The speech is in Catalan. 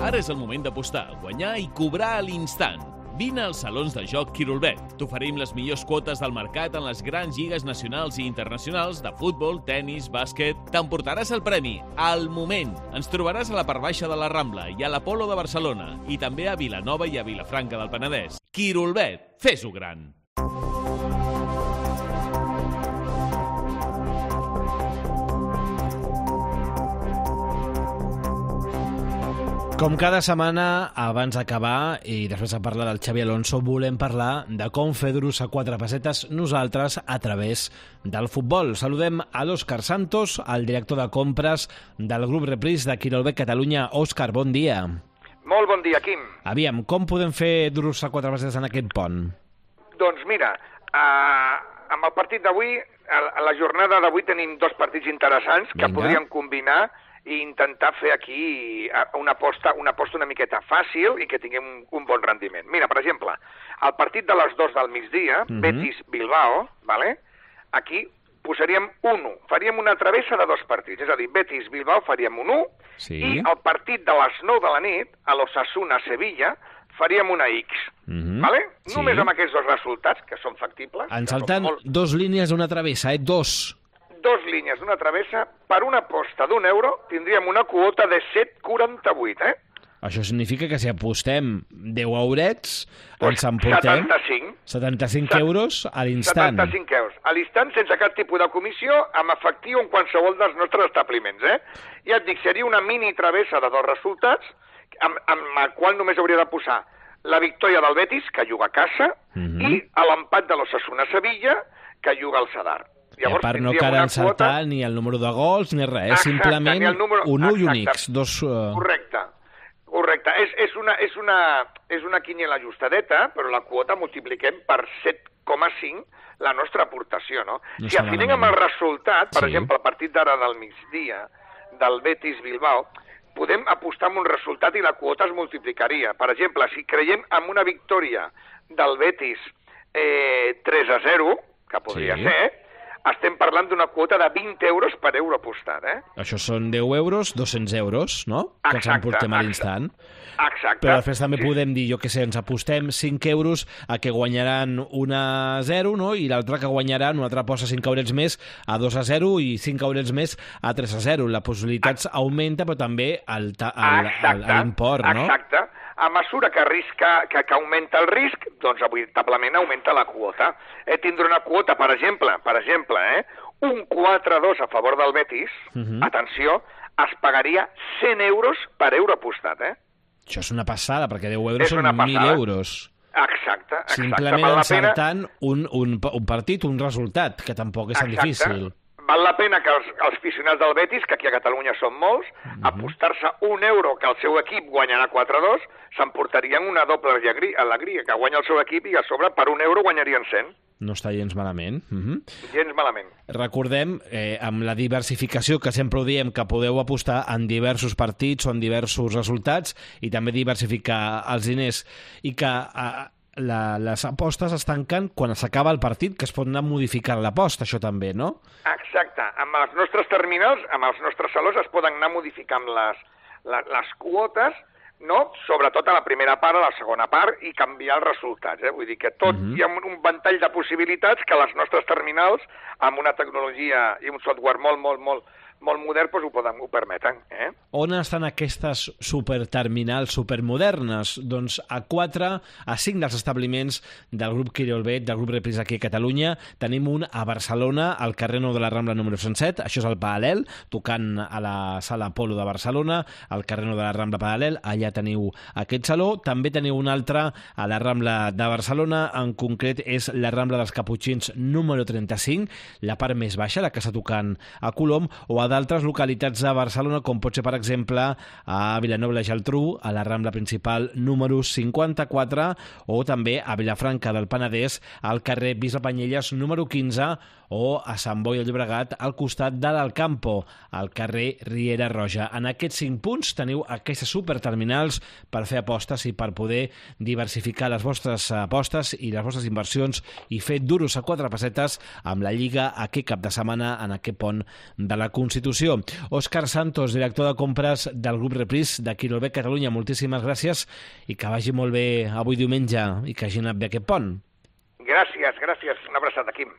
Ara és el moment d'apostar, guanyar i cobrar a l'instant. Vine als salons de joc Quirolbet. T'oferim les millors quotes del mercat en les grans lligues nacionals i internacionals de futbol, tennis, bàsquet. T'emportaràs el premi al moment. Ens trobaràs a la part baixa de la Rambla i a l'Apolo de Barcelona i també a Vilanova i a Vilafranca del Penedès. Quirolbet, fes-ho gran! Com cada setmana, abans d'acabar i després de parlar del Xavi Alonso, volem parlar de com fer duros a quatre pessetes nosaltres a través del futbol. Saludem a l'Òscar Santos, el director de compres del grup Reprise de Quirolbet Catalunya. Òscar, bon dia. Molt bon dia, Quim. Aviam, com podem fer duros a quatre pessetes en aquest pont? Doncs mira, amb el partit d'avui, a la jornada d'avui tenim dos partits interessants que podríem combinar i intentar fer aquí una aposta una miqueta fàcil i que tinguem un bon rendiment. Mira, per exemple, el partit de les 2 del migdia, Betis-Bilbao, ¿vale? Aquí posaríem 1. Faríem una travessa de 2 partits, és a dir, Betis-Bilbao faríem un 1, i el partit de les 9 de la nit, a l'Osasuna-Sevilla, faríem una X, ¿vale? Només amb aquests dos resultats, que són factibles. Ens salten dos línies d'una travessa, Dos línies d'una travessa, per una aposta d'€1 tindríem una quota de 7,48, Això significa que si apostem 10 eurets, ens emportem 75 euros a l'instant. 75 euros. A l'instant, sense cap tipus de comissió, amb efectiu en qualsevol dels nostres establiments, Ja et dic, seria una mini travessa de 2 resultats, amb la qual només hauria de posar la victòria del Betis, que juga a casa, i l'empat de l'Osasuna-Sevilla, que juga al Sadar. Llavors, per no quedar encertar ni el número de gols ni res, simplement un 1 i un X. Correcte. És una quiniela ajustadeta, però la quota multipliquem per 7,5 la nostra aportació, no? Si afinem amb el resultat, per exemple, el partit d'ara del migdia, del Betis-Bilbao, podem apostar amb un resultat i la quota es multiplicaria. Per exemple, si creiem en una victòria del Betis 3-0, que podria ser, estem parlant d'una quota de 20 euros per euro apostat, Això són 10 euros, 200 euros, no? Que ens emportem a l'instant. Exacte. Però després també podem dir, jo què sé, ens apostem 5 euros a que guanyaran 1-0, no? I l'altre que guanyaran, una altra aposta 5 eurets més a 2-0 i 5 eurets més a 3-0. La possibilitat augmenta, però també l'import, no? Exacte. A mesura que augmenta el risc, doncs veritablement augmenta la quota. Tindrà una quota, per exemple, un 4-2 a favor del Betis, atenció, es pagaria 100 euros per euro apostat, Això és una passada, perquè 10 euros són 1.000 euros. Exacte. Simplement encertant un partit, un resultat, que tampoc és tan difícil. Val la pena que els aficionats del Betis, que aquí a Catalunya són molts, apostar-se €1 que el seu equip guanyarà 4-2, s'emportarien una doble alegria, que guanya el seu equip i a sobre per €1 guanyarien 100. No està gens malament. Gens malament. Recordem, amb la diversificació que sempre ho diem, que podeu apostar en diversos partits o en diversos resultats i també diversificar els diners i que les apostes es tanquen quan s'acaba el partit, que es pot anar modificant l'aposta, això també, no? Exacte. Amb els nostres terminals, amb els nostres salons es poden anar modificant les quotes, no? Sobretot a la primera part, a la segona part, i canviar els resultats. Vull dir que tot hi ha un ventall de possibilitats que les nostres terminals, amb una tecnologia i un software molt modern, doncs ho permeten. On estan aquestes superterminals supermodernes? Doncs a 5 dels establiments del grup Quirolbet, del grup Reprise aquí a Catalunya. Tenim un a Barcelona, al carrer Nou de la Rambla número 107, això és el Paral·lel, tocant a la sala Apolo de Barcelona, al carrer Nou de la Rambla Paral·lel, allà teniu aquest saló. També teniu un altre a la Rambla de Barcelona, en concret és la Rambla dels Caputxins número 35, la part més baixa, la que està tocant a Colom, o a d'altres localitats de Barcelona, com pot ser, per exemple, a Vilanova i la Geltrú, a la Rambla Principal número 54, o també a Vilafranca del Penedès, al carrer Bisbe Panyelles número 15, o a Sant Boi de Llobregat, al costat de l'Alcampo, al carrer Riera Roja. En aquests 5 punts teniu aquestes superterminals per fer apostes i per poder diversificar les vostres apostes i les vostres inversions i fer duros a 4 pessetes amb la Lliga aquest cap de setmana en aquest pont de la Constitució. Constitució. Òscar Santos, director de compres del grup Repris de Quirolbet Catalunya, moltíssimes gràcies i que vagi molt bé avui diumenge i que hagi anat bé aquest pont. Gràcies, una abraçada, Quim.